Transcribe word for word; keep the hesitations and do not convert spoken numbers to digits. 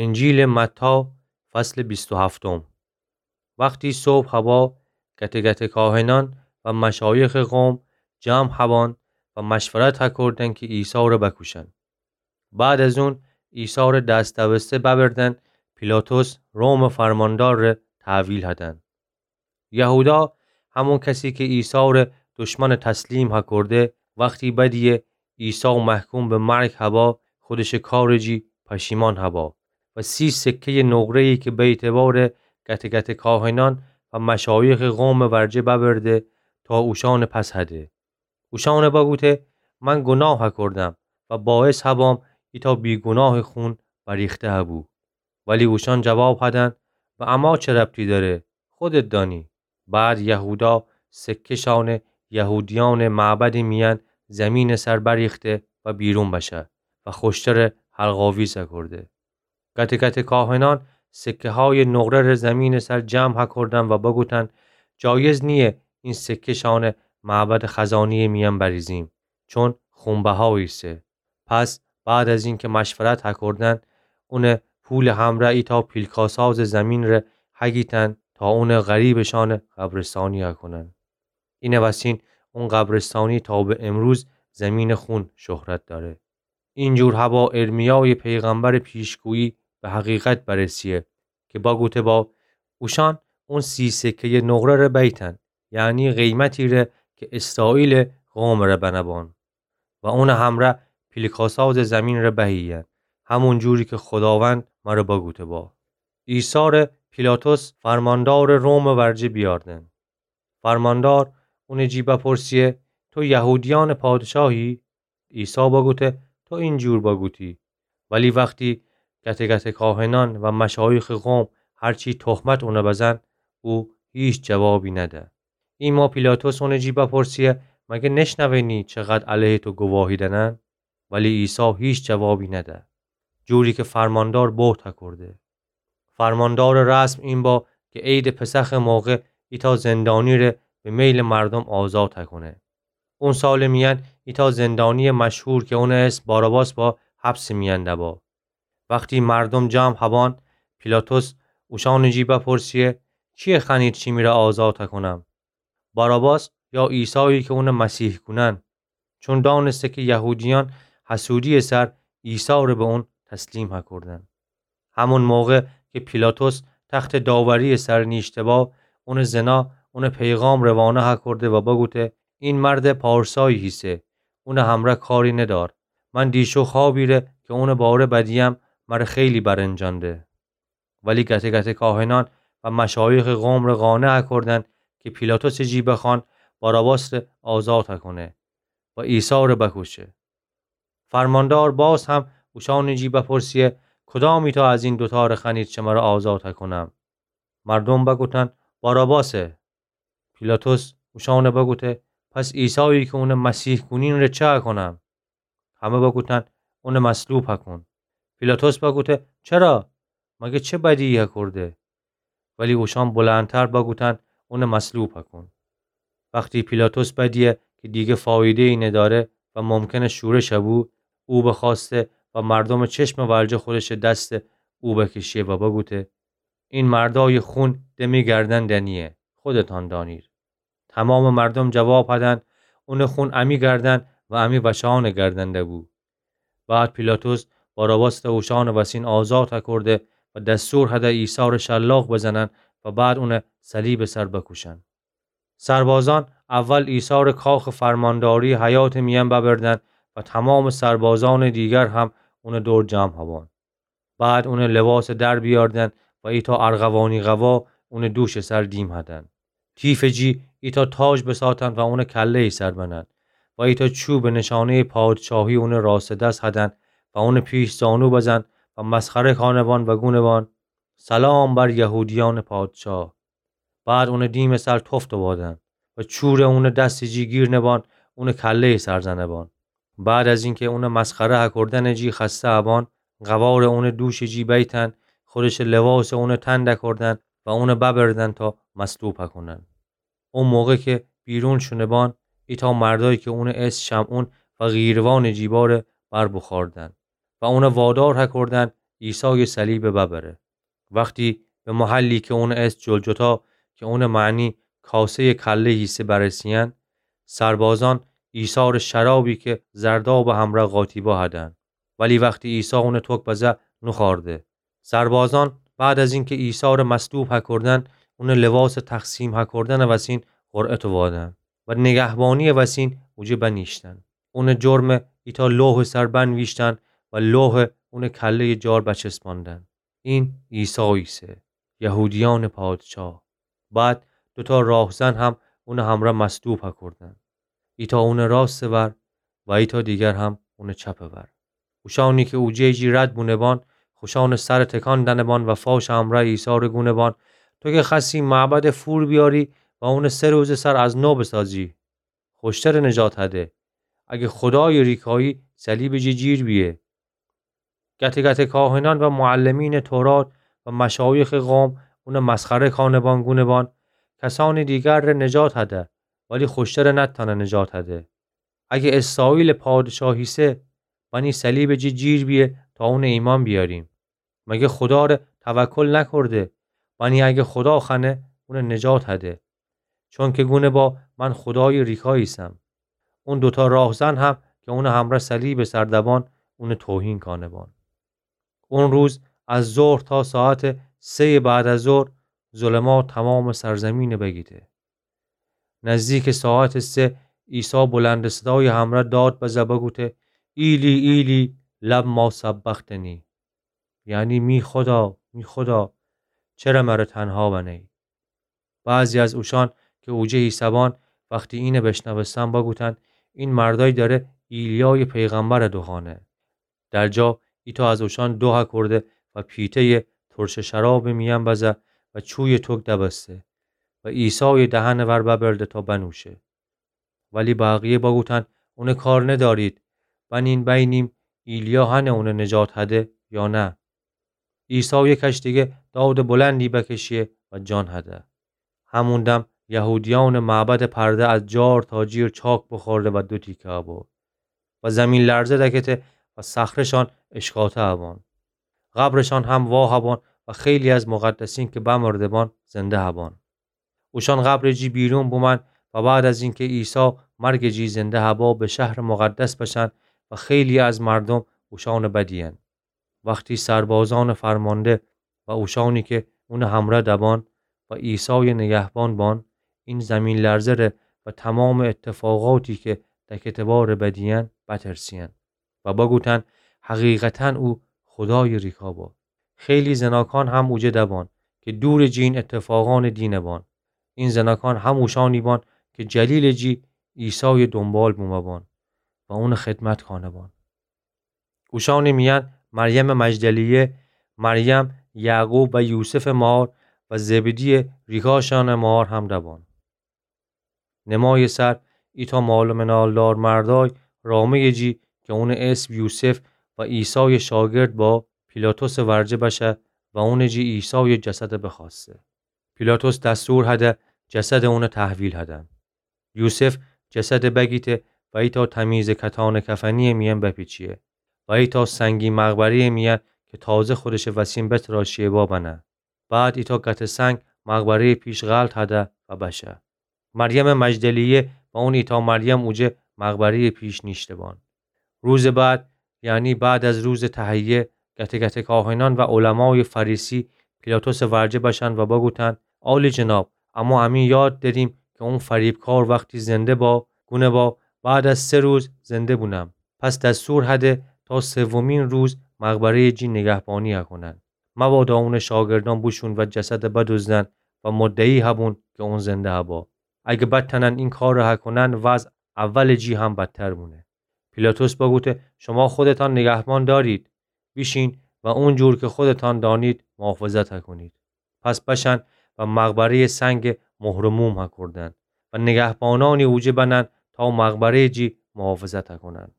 انجیلٚ متی، فصلٚ بیست و هفتم. وختی صبح هوا، گته‌گته کاهنأن و مشایخٚ قوم جمع هبان و مشورت هکردن کی عیسی ره بکوشن. بعد از اون عیسی ره دست دوسته ببردن پیلاطس رومٚ فرماندار ره تحویل هدن. یهودا، همون کسی کی عیسی ره دشمن تسلیم هکرده، وختی بدیه عیسی محکوم به مرگ هبا، خودشٚ کارٚ جی پشیمان هبا و سی سکه‌یٚ نقره‌یی کی به اعتبارٚ گته‌گته کاهنأن و مشایخٚ قومٚ ورجه ببرده تا اوشأنٚ پس هده. اوشأن بگوته: من گناه هکردم و باعث هبام ایتأ بیگناهٚ خون بریخته هبو. ولی اوشأن جواب هدن: به اما چه ربطی دأره؟ خودت دأنی. بعد یهودا سکه‌شأنٚ یهودیأنٚ معبدٚ میأن زیمینٚ سر بریخته و بیرون بشه و خوشتره حلق‌آویز هکرده. گته‌گته کاهنأن سکه‌هایٚ نقره ره زیمینٚ سر جمع هکردن و بگوتن: جایز نییه این سکه‌شأنٚ معبدٚ خزانه‌یٚ میأن بریزیم، چون خونبها ایسه. پس بعد از اینکه مشورت هکردن، اونٚ پولٚ همرأ ایتأ پیلکاسازٚ زیمین ره هگیتن تا اونٚ غریبٚشأنٚ قبرستانی هکونن. اینٚ وسین اون قبرستانی تا به امروز زیمینٚ خون شهرت دأره. اینجور هبا ارمیایٚ پیغمبرٚ پیشگویی به حقیقت برسیه کی بگوته با: اوشأن اون سی سکه‌یٚ نقره ره بیتن، یعنی قیمتی ره کی اسرائیلٚ قومٚ ره بنه‌بان، و اونٚ همرأ پیلکاسازٚ زیمین ره بهییأن، همون جوری کی خوداوند مره بگوته با. عیسی ره پیلاطس فرماندارٚ رومٚ ورجه بیأردن. فرماندار اونٚ جی بپرسیه: تو یهودیأنٚ پادشاهی؟ عیسی بگوته: تو اینجور بگوتی. ولی وختی گته‌گته کاهنأن و مشایخٚ قوم هرچی تهمت اونه بزن، او هیچ جوابی نده. ایما پیلاطس اونٚ جی بپرسیه: مگه نشنوینی چقدر علیه تو گواهی دنن؟ ولی عیسی هیچ جوابی نده، جوری کی فرماندار بهت هکرده. فرماندارٚ رسم این با کی عیدٚ پسخٚ موقع ایتأ زندانی ره به میلٚ مردم آزاد هکونه. اون سالٚ میأن ایتأ زندانیٚ مشهور کی اونٚ اسم باراباس با، حبسٚ میأن دبا. وختی مردم جمع هبان، پیلاطس اوشأنٚ جی بپرسیه: کیه خوأنید شیمی ره آزاد هکونم؟ باراباس یا عیسایی کی اونه مسیح کونن؟ چون دانسته کی یهودیأن حسودی‌یٚ سر عیسی ره به اون تسلیم هکردن. همون موقع کی پیلاطس تختٚ داوری‌یٚ سر نیشته با، اونٚ زنا اونه پیغام روانه هکرده و بگوته: این مرد پارسایی هیسه، اونٚ همرأ کاری ندار. من دیشو خوابی ره کی اونٚ باره بدیم، مره خیلی برنجانده. ولی گته‌گته‌کاهنأن و مشایخٚ قوم ره قانع هکردن کی پیلاطسٚ جی بخوأن باراباس ره آزاد هکونه و عیسی ره بکوشه. فرماندار باز هم اوشأنٚ جی بپرسیه: کدامیتأ از این دوتأ ره خوأنید شمره آزاد هکونم؟ مردم بگوتن: باراباسه. پیلاطس اوشأن بگوته: پس عیسایی کی اونه مسیح کونین ره چه هکونم؟ همه بگوتن: اونه مصلوب هکون. پیلاطس بگوته: چرا؟ مگه چه بدی‌یی هکرده؟ ولی اوشأن بلندتر بگوتن: اونه مصلوب هکون. وختی پیلاطس بدیه کی دیگه فایده‌یی ندأره و ممکنه شورش هبو، او بخوأسته و مردمٚ چشمٚ ورجه خودشٚ دست او بکشه و بگوته: این مردایٚ خون ده می گردن دنییه، خودتأن دأنید. تومامٚ مردم جواب هدن: اونٚ خون امی گردن و امی وشأنٚ گردن دبو. بعد پیلاطس باراباس ره اوشأنٚ وسین آزاد هکرده و دستور هده عیسی ره شلاق بزنن و بعد اونه صلیبٚ سر بکوشن. سربازأن اول عیسی ره کاخٚ فرمانداریٚ حیاتٚ میأن ببردن و تومامٚ سربازأنٚ دیگر هم اونٚ دور جمع هبان. بعد اونٚ لباسٚ در بیأردن و ایتأ ارغوانی قوا اونٚ دوشٚ سر دیم هدن. تیفٚ جی ایتأ تاج بساتن و اونٚ کله‌یٚ سر بنن و ایتأ چوبٚ نشانه‌یٚ پادشاهی اونٚ راستٚ دس هدن و اونٚ پیش زانو بزن و مسخره کانه‌بان و گونه‌بان: سلام بر یهودیأنٚ پادشاه. بعد اونٚ دیمٚ سر تفت بادن و چوره اونٚ دستٚ جی گیرنه‌بان، اونٚ کله‌یٚ سر زنه‌بان. بعد از اینکه اونٚ مسخره هکردنٚ جی خسته هبان، قوارٚ اونٚ دوشٚ جی بیتن، خودشٚ لباسٚ اونٚ تن دکردن و اونٚ ببردن تا مصلوب هکونن. او موقع کی بیرون شونه‌بان، ایتأ مردایی کی اونٚ اسم شمعون و قیروانٚ جی باره، بر بخوأردن و اونٚ وادار هکردن عیسایٚ صلیبٚ ببره. وختی به محلی کی اونٚ اسم جلجتا، کی اونٚ معنی کاسه‌یٚ کله ایسه، برسیین، سربازأن عیسی‌ره شرابی کی زردابٚ همرأ قاطی بهادن. ولی وختی عیسی اونٚ توک بزه، نوخورده. سربازأن بعد از اینکی عیسی‌ره مصلوب هکردن، اونٚ لباسٚ تقسیم هکردنٚ وسین قرعه تووادن و نگهبانی‌یٚ وسین اوجه بنیشتن. اونٚ جرمه ایتأ لوحٚ سر بنویشتن و لوحه اونٚ کله‌یٚ جار بچسباندن. این عیسی ایسه، یهودیأنٚ پادشاه. بعد دوتا راهزن هم اونٚ همرأ مصلوب هکردن. ایتأ اونٚ راستٚ ور و ایتأ دیگر هم اونٚ چپٚ ور. اوشأنی کی اوجه جی رد بونه‌بان، خوشأنٚ سرٚ تکان دنه‌بان و فاشٚ همرأ عیسی‌ره گونه‌بان: تو کی خوأستی معبده فور بیاری و اونٚ سه روزٚ سر از نو بسازی، خوشتره نجات هده. اگه خودایٚ ریکایی، صلیبٚ جی جیر بیه. گته گته کاهنأن و معلمینٚ تورات و مشایخٚ قوم اونٚ مسخره کانه‌بان، گونه‌بان: کسأنٚ دیگرٚ نجات هده، ولی خوشتره نتأنه نجات هده. اگه اسرائیلٚ پادشاه ایسه، بأنی صلیبٚ جی جیر بیه تا اونٚ ایمأن بیأریم. مگه خوداره توکل نکرده؟ بأنی اگه خودا خوأنه، اونٚ نجات هده. چونکی گونه‌با من خودایٚ ریکا ایسم. اون دوتا راهزن هم کی اونٚ همرأ صلیبٚ سر دبان، اونٚ توهین کانه‌بان. اون روز از ظهر تا ساعتٚ سه‌یٚ بعد از ظهر، ظلمات تمامٚ سرزمینٚ بگیته. نزدیکٚ ساعتٚ سه، عیسی بلندٚ صدایٚ همرأ داد بزه بگوته: ایلی، ایلی، لما سبقتنی؟ یعنی: می خودا، می خودا، چره مره تنها بنه‌یی؟ بعضی از اوشأن کی اوجه ایسه‌بان، وختی اینه بشنوستن، بگوتن: این مردأی دأره ایلیایٚ پیغمبره دوخوأنه. در جا ایتأ از اوشأن دوه کرده و پیته‌یٚ ترشٚ شرابٚ میأن بزه و چویٚ توک دبسته و عیسایٚ دهنٚ ور ببرده تا بنوشه. ولی بقیه بگوتن: اونٚ کار ندأرید، بنین بینیم ایلیا هنه اونٚ نجات هده یا نه. عیسی یه کش دیگه دادٚ بلندی بکشیه و جان هده. همون دم یهودیأنٚ معبدٚ پرده از جار تا جیر چاک بخورده و دو تیکه ابو و زمین‌لرزه دکته و صخره‌شان اشکاته ابان. قبرشان هم واه ابان و خیلی از مقدسین که بمرده بان زنده ابان. اوشان قبرٚ جی بیرون بومن و بعد از اینکه عیسی مرگٚ جی زنده ابا، به شهرٚ مقدس بشن و خیلی از مردم اوشانٚ بدیین. وختی سربازأنٚ فرمانده و اوشانی که اونٚ همره دبان و عیسایٚ نگهبان بان، این زمین‌لرزه ره و تمامٚ اتفاقاتی که دکته باره بدیین بترسیین و بگوتن: حقیقتاً او خودایٚ ریکا با. خیلی زناکان هم اوجه دبان که دورٚ جی این اتفاقأنٚ دینه بان. این زناکان هموشانی بان که جلیلٚ جی عیسایٚ دونبال بومه بان و اونٚ خدمت کانه بان. اوشانٚ میأن مریمٚ مجدلیه، مریم، یعقوب و یوسفٚ مار و زبدییٚ ریکاشأنٚ مار هم دبان. نمایٚ سر ایتأ مالٚ منالدار مردای رامه‌یٚ جی که اونٚ اسم یوسف و عیسایٚ شاگرد با، پیلاطسٚ ورجه بشه و اونٚ جی عیسایٚ جسد بخوأسته. پیلاطس دستور هده جسدٚ اونٚ تحویل هدن. یوسف جسد بگیته و ایتأ تمیزٚ کتانٚ کفنییٚ میأن بپیچیه و ایتأ سنگی مقبره‌یٚ میأن که تازه خودشٚ وسین بتراشیه با بنه. بعد ایتأ گتٚ سنگ مقبره‌یٚ پیش غلط هده و بشه. مریمٚ مجدلیه و اون ایتأ مریم اوجه مقبره‌یٚ پیش نیشته بان. روزٚ بعد، یعنی بعد از روزٚ تهیه، گتٚ گتٚ کاهنأن و علمایٚ فریسی پیلاطسٚ ورجه بشن و بگوتن: عالی‌جناب، اما امی یاد دأریم که اون فریبکار وختی زنده با، گونه با بعد از سه روز زنده بونم. پس دستور هده تا سومین روز مقبره‌یٚ جی نگهبانی هکونن. مبادا اونٚ شاگردأن بوشون و جسد بدزدن و مدعی هبون که اون زنده هبا. اگه بتأنن این کار هکونن، وضع اولٚ جی هم بدتر بونه. پیلاطس بگوته: شما خودتأن نگهبان دأرید، بیشین و اونجور که خودتأن دانید محافظت هکونید. پس بشن و مقبره‌یٚ سنگ مهر و موم هکردن و نگهبانأنی اوجه بنن تا مقبره‌یٚ جی محافظت هکونن.